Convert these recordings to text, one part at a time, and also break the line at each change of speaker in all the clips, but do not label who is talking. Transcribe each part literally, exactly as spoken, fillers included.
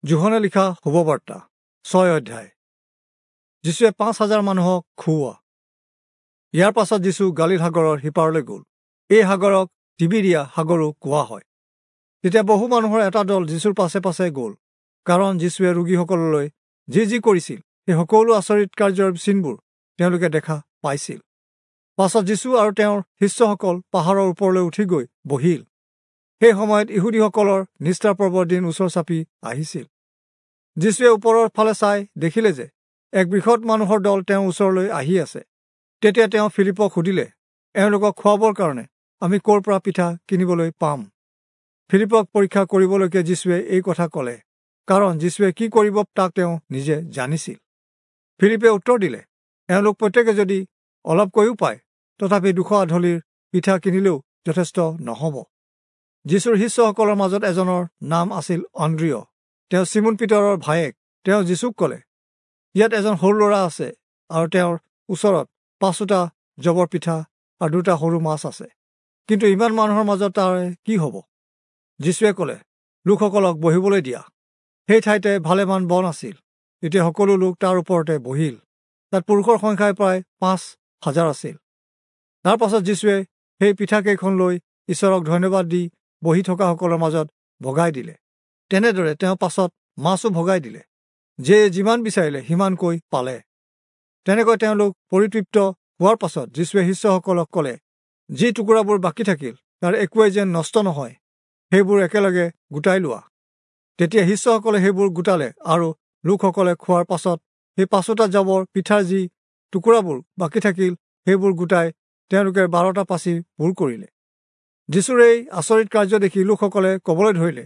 যোহনে লিখা শুভবাৰ্তা ছয় অধ্যায়। যীশুৱে পাঁচ হাজাৰ মানুহক খুওৱা। ইয়াৰ পাছত যীশু গালিল সাগৰৰ সিপাৰলৈ গ'ল। এই সাগৰক তিবিৰিয়া সাগৰো কোৱা হয়। তেতিয়া বহু মানুহৰ এটা দল যীশুৰ পাছে পাছে গ'ল, কাৰণ যীশুৱে ৰোগীসকললৈ যি যি কৰিছিল সেই সকলো আচৰিত কাৰ্যৰ চিনবোৰ তেওঁলোকে দেখা পাইছিল। পাছত যীশু আৰু তেওঁৰ শিষ্যসকল পাহাৰৰ ওপৰলৈ উঠি গৈ বহিল। সেই সময়ত ইহুদীসকলৰ নিষ্ঠা পৰ্বৰ দিন ওচৰ চাপি আহিছিল। যীশুৱে ওপৰৰ ফালে চাই দেখিলে যে এক বৃহৎ মানুহৰ দল তেওঁৰ ওচৰলৈ আহি আছে। তেতিয়া তেওঁ ফিলিপক সুধিলে, এওঁলোকক খুৱাবৰ কাৰণে আমি ক'ৰ পৰা পিঠা কিনিবলৈ পাম? ফিলিপক পৰীক্ষা কৰিবলৈকে যীশুৱে এই কথা ক'লে, কাৰণ যীশুৱে কি কৰিব তাক তেওঁ নিজে জানিছিল। ফিলিপে উত্তৰ দিলে, এওঁলোক প্ৰত্যেকে যদি অলপকৈও পায় তথাপি দুশ আধলিৰ পিঠা কিনিলেও যথেষ্ট নহ'ব। যীশুৰ শিষ্যসকলৰ মাজত এজনৰ নাম আছিল অন্দ্ৰিয়। তেওঁ চিমোন পিতৰৰ ভায়েক। তেওঁ যীশুক ক'লে, ইয়াত এজন সৰু ল'ৰা আছে আৰু তেওঁৰ ওচৰত পাঁচোটা জবৰ পিঠা আৰু দুটা সৰু মাছ আছে, কিন্তু ইমান মানুহৰ মাজত তাৰ কি হ'ব? যীশুৱে ক'লে, লোকসকলক বহিবলৈ দিয়া। সেই ঠাইতে ভালেমান বন আছিল। তেতিয়া সকলো লোক তাৰ ওপৰতে বহিল। তাত পুৰুষৰ সংখ্যাই প্ৰায় পাঁচ হাজাৰ আছিল। তাৰ পাছত যীশুৱে সেই পিঠাকেইখন লৈ ঈশ্বৰক ধন্যবাদ দি বহি থকাসকলৰ মাজত ভগাই দিলে। তেনেদৰে তেওঁ পাছত মাছো ভগাই দিলে। যিয়ে যিমান বিচাৰিলে সিমানকৈ পালে। তেনেকৈ তেওঁলোক পৰিতৃপ্ত হোৱাৰ পাছত যীশুৱে শিষ্যসকলক ক'লে, যি টুকুৰাবোৰ বাকী থাকিল তাৰ একোৱেই যেন নষ্ট নহয়, সেইবোৰ একেলগে গোটাই লোৱা। তেতিয়া শিষ্যসকলে সেইবোৰ গোটালে আৰু লোকসকলে খোৱাৰ পাছত সেই পাঁচোটা জাবৰ পিঠাৰ যি টুকুৰাবোৰ বাকী থাকিল সেইবোৰ গোটাই তেওঁলোকে বাৰটা পাচি পূৰ কৰিলে। যীশুৰ এই আচৰিত কাৰ্য দেখি লোকসকলে ক'বলৈ ধৰিলে,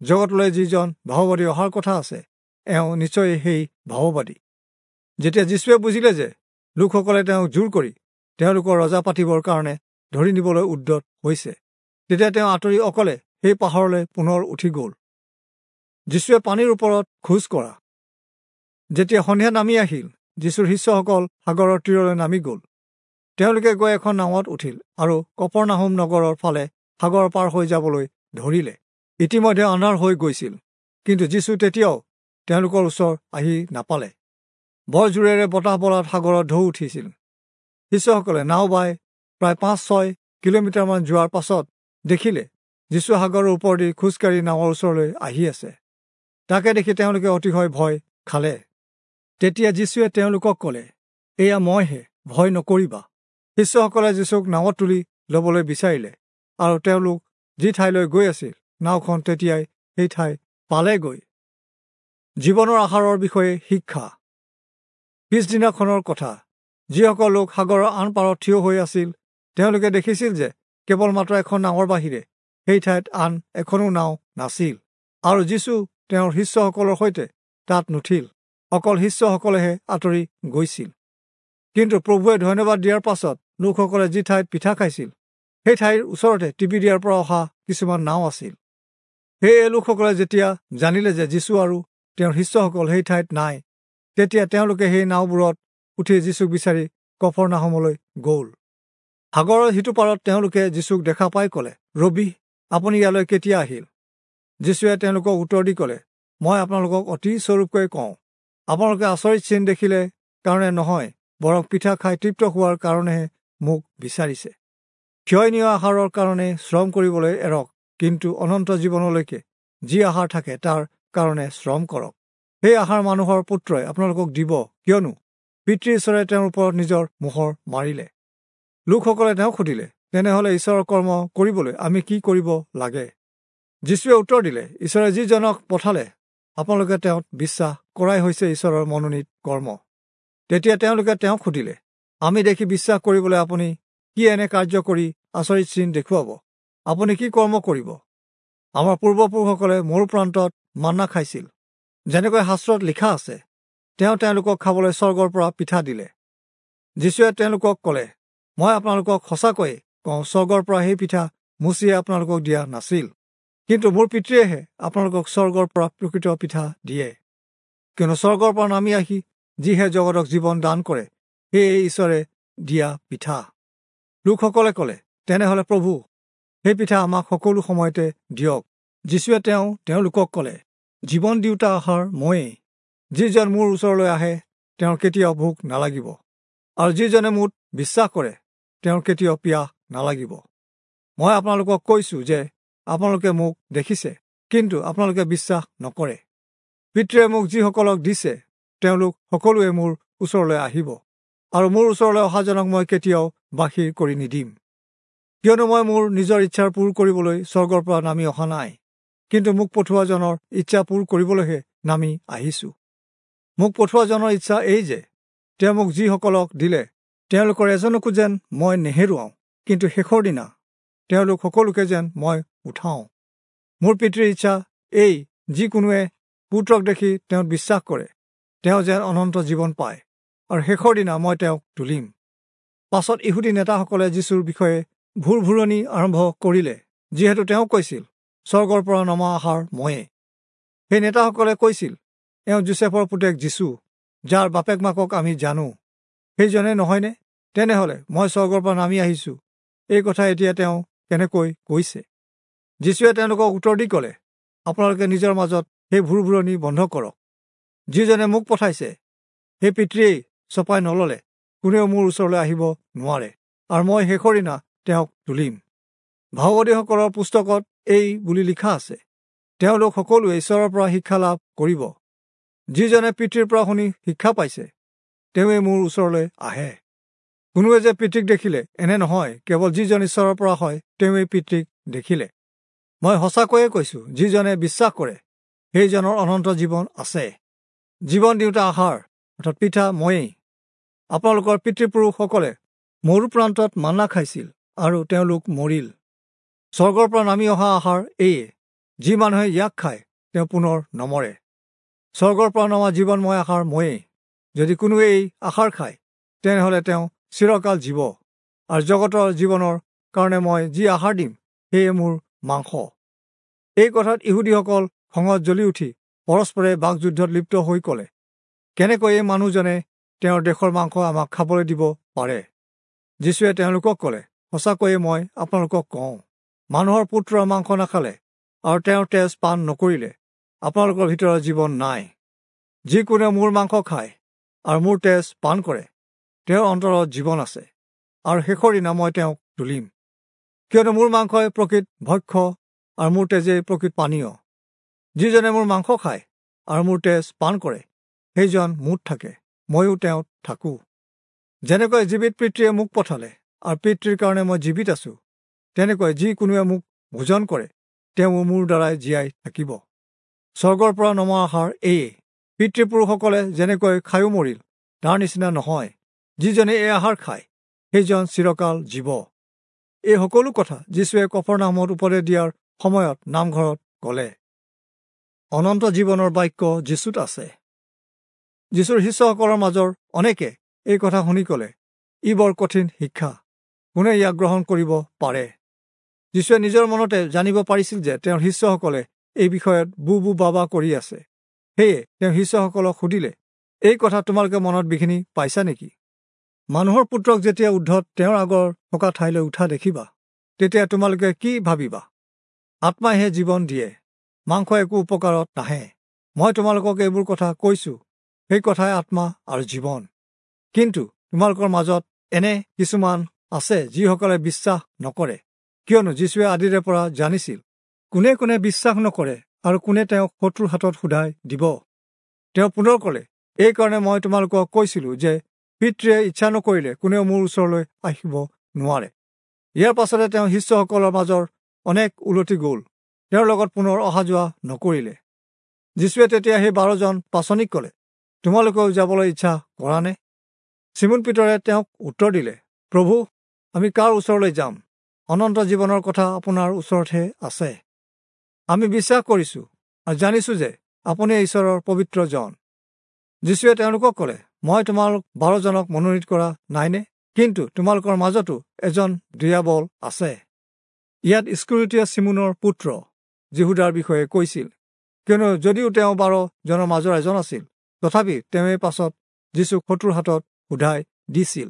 জগতলৈ যিজন ভাৱবাদী অহাৰ কথা আছে, এওঁ নিশ্চয় সেই ভাৱবাদী। যেতিয়া যীশুৱে বুজিলে যে লোকসকলে তেওঁক জোৰ কৰি তেওঁলোকৰ ৰজা পাতিবৰ কাৰণে ধৰি নিবলৈ উদ্যত হৈছে, তেতিয়া তেওঁ আঁতৰি অকলে সেই পাহাৰলৈ পুনৰ উঠি গ'ল। যীশুৱে পানীৰ ওপৰত খোজ কঢ়া। যেতিয়া সন্ধিয়া নামি আহিল, যীশুৰ শিষ্যসকল সাগৰৰ তীৰলৈ নামি গ'ল। তেওঁলোকে গৈ এখন নাৱত উঠিল আৰু কপৰনাহুম নগৰৰ ফালে সাগৰ পাৰ হৈ যাবলৈ ধৰিলে। ইতিমধ্যে আন্ধাৰ হৈ গৈছিল, কিন্তু যীশু তেতিয়াও তেওঁলোকৰ ওচৰ আহি নাপালে। বৰ জোৰেৰে বতাহ বলাত সাগৰত ঢৌ উঠিছিল। শিষ্যসকলে নাও বাই প্ৰায় পাঁচ ছয় কিলোমিটাৰমান যোৱাৰ পাছত দেখিলে যীশু সাগৰৰ ওপৰেদি খোজকাঢ়ি নাৱৰ ওচৰলৈ আহি আছে। তাকে দেখি তেওঁলোকে অতিশয় ভয় খালে। তেতিয়া যীশুৱে তেওঁলোকক ক'লে, এয়া মইহে, ভয় নকৰিবা। শিষ্যসকলে যীশুক নাৱত তুলি ল'বলৈ বিচাৰিলে আৰু তেওঁলোক যি ঠাইলৈ গৈ আছিল নাওখন তেতিয়াই সেই ঠাই পালেগৈ। জীৱনৰ আহাৰৰ বিষয়ে শিক্ষা। পিছদিনাখনৰ কথা। যিসকল লোক সাগৰৰ আন পাৰত থিয় হৈ আছিল তেওঁলোকে দেখিছিল যে কেৱল মাত্ৰ এখন নাৱৰ বাহিৰে সেই ঠাইত আন এখনো নাও নাছিল, আৰু যীশু তেওঁৰ শিষ্যসকলৰ সৈতে তাত নুঠিল, অকল শিষ্যসকলেহে আঁতৰি গৈছিল। কিন্তু প্ৰভুৱে ধন্যবাদ দিয়াৰ পাছত লোকসকলে যি ঠাইত পিঠা খাইছিল সেই ঠাইৰ ওচৰতে তিবিৰিয়াৰ পৰা অহা কিছুমান নাও আছিল। সেয়ে লোকসকলে যেতিয়া জানিলে যে যীশু আৰু তেওঁৰ শিষ্যসকল সেই ঠাইত নাই, তেতিয়া তেওঁলোকে সেই নাওবোৰত উঠি যীশুক বিচাৰি কফৰনাহুমলৈ গ'ল। সাগৰৰ সিটো পাৰত তেওঁলোকে যীশুক দেখা পাই ক'লে, ৰবি, আপুনি ইয়ালৈ কেতিয়া আহিল? যীশুৱে তেওঁলোকক উত্তৰ দি ক'লে, মই আপোনালোকক অতি স্বৰূপকৈ কওঁ, আপোনালোকে আচৰিত চিন দেখিলে কাৰণে নহয়, বৰং পিঠা খাই তৃপ্ত হোৱাৰ কাৰণেহে মোক বিচাৰিছে। ক্ষয়নীয় আহাৰৰ কাৰণে শ্ৰম কৰিবলৈ এৰক, কিন্তু অনন্ত জীৱনলৈকে যি আহাৰ থাকে তাৰ কাৰণে শ্ৰম কৰক। সেই আহাৰ মানুহৰ পুত্ৰই আপোনালোকক দিব, কিয়নো পিতৃ ঈশ্বৰে তেওঁৰ ওপৰত নিজৰ মোহৰ মাৰিলে। লোকসকলে তেওঁক সুধিলে, তেনেহ'লে ঈশ্বৰৰ কৰ্ম কৰিবলৈ আমি কি কৰিব লাগে? যীশুৱে উত্তৰ দিলে, ঈশ্বৰে যিজনক পঠালে আপোনালোকে তেওঁত বিশ্বাস কৰাই হৈছে ঈশ্বৰৰ মনোনীত কৰ্ম। তেতিয়া তেওঁলোকে তেওঁক সুধিলে, আমি দেখি বিশ্বাস কৰিবলৈ আপুনি কি এনে কাৰ্য কৰি আচৰিত চিন দেখুৱাব? আপুনি কি কৰ্ম কৰিব? আমাৰ পূৰ্বপুৰুষসকলে মৰু প্ৰান্তত মান্না খাইছিল, যেনেকৈ শাস্ত্ৰত লিখা আছে, তেওঁ তেওঁলোকক খাবলৈ স্বৰ্গৰ পৰা পিঠা দিলে। যীশুৱে তেওঁলোকক ক'লে, মই আপোনালোকক সঁচাকৈয়ে কওঁ, স্বৰ্গৰ পৰা সেই পিঠা মোচিয়ে আপোনালোকক দিয়া নাছিল, কিন্তু মোৰ পিতৃয়েহে আপোনালোকক স্বৰ্গৰ পৰা প্ৰকৃত পিঠা দিয়ে। কিয়নো স্বৰ্গৰ পৰা নামি আহি যিহে জগতক জীৱন দান কৰে, সেয়ে ঈশ্বৰে দিয়া পিঠা। লোকসকলে ক'লে, তেনেহ'লে প্ৰভু, সেই পিঠা আমাক সকলো সময়তে দিয়ক। যীশুৱে তেওঁ তেওঁলোকক ক'লে, জীৱন দিওঁতা আহাৰ ময়েই। যিজন মোৰ ওচৰলৈ আহে তেওঁৰ কেতিয়াও ভোক নালাগিব, আৰু যিজনে মোত বিশ্বাস কৰে তেওঁৰ কেতিয়াও পিয়াহ নালাগিব। মই আপোনালোকক কৈছোঁ যে আপোনালোকে মোক দেখিছে, কিন্তু আপোনালোকে বিশ্বাস নকৰে। পিতৃয়ে মোক যিসকলক দিছে তেওঁলোক সকলোৱে মোৰ ওচৰলৈ আহিব, আৰু মোৰ ওচৰলৈ অহাজনক মই কেতিয়াও বাহিৰ কৰি নিদিম। কিয়নো মই মোৰ নিজৰ ইচ্ছাৰ পূৰ কৰিবলৈ স্বৰ্গৰ পৰা নামি অহা নাই, কিন্তু মোক পঠোৱাজনৰ ইচ্ছা পূৰ কৰিবলৈহে নামি আহিছোঁ। মোক পঠোৱাজনৰ ইচ্ছা এই যে তেওঁ মোক যিসকলক দিলে তেওঁলোকৰ এজনকো যেন মই নেহেৰুৱাওঁ, কিন্তু শেষৰ দিনা তেওঁলোক সকলোকে যেন মই উঠাওঁ। মোৰ পিতৃৰ ইচ্ছা এই, যিকোনোৱে পুত্ৰক দেখি তেওঁত বিশ্বাস কৰে তেওঁ যেন অনন্ত জীৱন পায়, আৰু শেষৰ দিনা মই তেওঁক তুলিম। পাছত ইহুদী নেতাসকলে যীশুৰ বিষয়ে ভুৰভুৰণি আৰম্ভ কৰিলে, যিহেতু তেওঁ কৈছিল, স্বৰ্গৰ পৰা নমা আহাৰ ময়ে। সেই নেতাসকলে কৈছিল, এওঁ যোচেফৰ পুতেক যীশু, যাৰ বাপেক মাকক আমি জানো, সেইজনে নহয়নে? তেনেহ'লে মই স্বৰ্গৰ পৰা নামি আহিছোঁ, এই কথা এতিয়া তেওঁ কেনেকৈ কৈছে? যীশুৱে তেওঁলোকক উত্তৰ দি ক'লে, আপোনালোকে নিজৰ মাজত সেই ভুৰভুৰণি বন্ধ কৰক। যিজনে মোক পঠাইছে সেই পিতৃয়েই চপাই নল'লে কোনেও মোৰ ওচৰলৈ আহিব নোৱাৰে, আৰু মই শেষৰ দিনা তেওঁক তুলিম। ভাওবাদীসকলৰ পুস্তকত এই বুলি লিখা আছে, তেওঁলোক সকলোৱে ঈশ্বৰৰ পৰা শিক্ষা লাভ কৰিব। যিজনে পিতৃৰ পৰা শুনি শিক্ষা পাইছে তেওঁৱে মোৰ ওচৰলৈ আহে। কোনোৱে যে পিতৃক দেখিলে এনে নহয়, কেৱল যিজন ঈশ্বৰৰ পৰা হয় তেওঁৱেই পিতৃক দেখিলে। মই সঁচাকৈয়ে কৈছোঁ, যিজনে বিশ্বাস কৰে সেইজনৰ অনন্ত জীৱন আছে। জীৱন দিওঁতা আহাৰ অৰ্থাৎ পিঠা ময়েই। আপোনালোকৰ পিতৃপুৰুষসকলে মৰু প্ৰান্তত মান্না খাইছিল আৰু তেওঁলোক মৰিল। স্বৰ্গৰ পৰা নামি অহা আহাৰ এইয়ে, যি মানুহে ইয়াক খায় তেওঁ পুনৰ নমৰে। স্বৰ্গৰ পৰা নমা জীৱনময় আহাৰ ময়েই। যদি কোনোৱে এই আহাৰ খায় তেনেহ'লে তেওঁ চিৰকাল জীৱ, আৰু জগতৰ জীৱনৰ কাৰণে মই যি আহাৰ দিম সেয়ে মোৰ মাংস। এই কথাত ইহুদীসকল খঙত জ্বলি উঠি পৰস্পৰে বাকযুদ্ধত লিপ্ত হৈ ক'লে, কেনেকৈ এই মানুহজনে তেওঁৰ দেশৰ মাংস আমাক খাবলৈ দিব পাৰে? যীশুৱে তেওঁলোকক ক'লে, সঁচাকৈয়ে মই আপোনালোকক কওঁ, মানুহৰ পুত্ৰৰ মাংস নাখালে আৰু তেওঁৰ তেজ পান নকৰিলে আপোনালোকৰ ভিতৰত জীৱন নাই। যিকোনোৱে মোৰ মাংস খায় আৰু মোৰ তেজ পান কৰে তেওঁৰ অন্তৰত জীৱন আছে, আৰু শেষৰ দিনা মই তেওঁক তুলিম। কিয়নো মোৰ মাংসই প্ৰকৃত ভক্ষ্য আৰু মোৰ তেজেই প্ৰকৃত পানীয়। যিজনে মোৰ মাংস খায় আৰু মোৰ তেজ পান কৰে সেইজন মোত থাকে, ময়ো তেওঁত থাকোঁ। যেনেকৈ জীৱিত পিতৃয়ে মোক পঠালে আৰু পিতৃৰ কাৰণে মই জীৱিত আছোঁ, তেনেকৈ যি কোনোৱে মোক ভোজন কৰে তেওঁ মোৰ দ্বাৰাই জীয়াই থাকিব। স্বৰ্গৰ পৰা নমা আহাৰ এইয়ে, পিতৃপুৰুষসকলে যেনেকৈ খায়ো মৰিল তাৰ নিচিনা নহয়। যিজনে এই আহাৰ খায় সেইজন চিৰকাল জীৱ। এই সকলো কথা যীশুৱে কফৰনাহূমত উপদেশ দিয়াৰ সময়ত নামঘৰত ক'লে। অনন্ত জীৱনৰ বাক্য যীশুত আছে। যীশুৰ শিষ্যসকলৰ মাজৰ অনেকে এই কথা শুনি ক'লে, ই বৰ কঠিন শিক্ষা, কোনে ইয়াক গ্ৰহণ কৰিব পাৰে? যীশুৱে নিজৰ মনতে জানিব পাৰিছিল যে তেওঁৰ শিষ্যসকলে এই বিষয়ত বু বু বাবা কৰি আছে। সেয়ে তেওঁ শিষ্যসকলক সুধিলে, এই কথা তোমালোকে মনত বিঘিনি পাইছা নেকি? মানুহৰ পুত্ৰক যেতিয়া ঊৰ্ধত তেওঁৰ আগৰ থকা ঠাইলৈ উঠা দেখিবা, তেতিয়া তোমালোকে কি ভাবিবা? আত্মাইহে জীৱন দিয়ে, মাংস একো উপকাৰত নাহে। মই তোমালোকক এইবোৰ কথা কৈছোঁ, সেই কথাই আত্মা আৰু জীৱন। কিন্তু তোমালোকৰ মাজত এনে কিছুমান আছে যিসকলে বিশ্বাস নকৰে। কিয়নো যীশুৱে আদিৰে পৰা জানিছিল কোনে কোনে বিশ্বাস নকৰে আৰু কোনে তেওঁক শত্ৰুৰ হাতত সোধাই দিব। তেওঁ পুনৰ ক'লে, এইকাৰণে মই তোমালোকক কৈছিলোঁ যে পিতৃয়ে ইচ্ছা নকৰিলে কোনেও মোৰ ওচৰলৈ আহিব নোৱাৰে। ইয়াৰ পাছতে তেওঁ শিষ্যসকলৰ মাজৰ অনেক উলটি গ'ল, তেওঁৰ লগত পুনৰ অহা যোৱা নকৰিলে। যীশুৱে তেতিয়া সেই বাৰজন পাচনিক ক'লে, তোমালোকেও যাবলৈ ইচ্ছা কৰানে? চিমোন পিতৰে তেওঁক উত্তৰ দিলে, প্ৰভু, আমি কাৰ ওচৰলৈ যাম? অনন্ত জীৱনৰ কথা আপোনাৰ ওচৰতহে আছে। আমি বিশ্বাস কৰিছোঁ আৰু জানিছোঁ যে আপুনি ঈশ্বৰৰ পবিত্ৰ জন। যীশুৱে তেওঁলোকক ক'লে, মই তোমালোক বাৰজনক মনোনীত কৰা নাইনে? কিন্তু তোমালোকৰ মাজতো এজন দিয়াবল আছে। ইয়াত ইস্কৰিয়োতীয়া চিমোনৰ পুত্ৰ যিহূদাৰ বিষয়ে কৈছিল, কিয়নো যদিও তেওঁ বাৰজনৰ মাজৰ এজন আছিল, তথাপি তেওঁৱে পাছত যীশুক শত্ৰুৰ হাতত সোধাই দিছিল।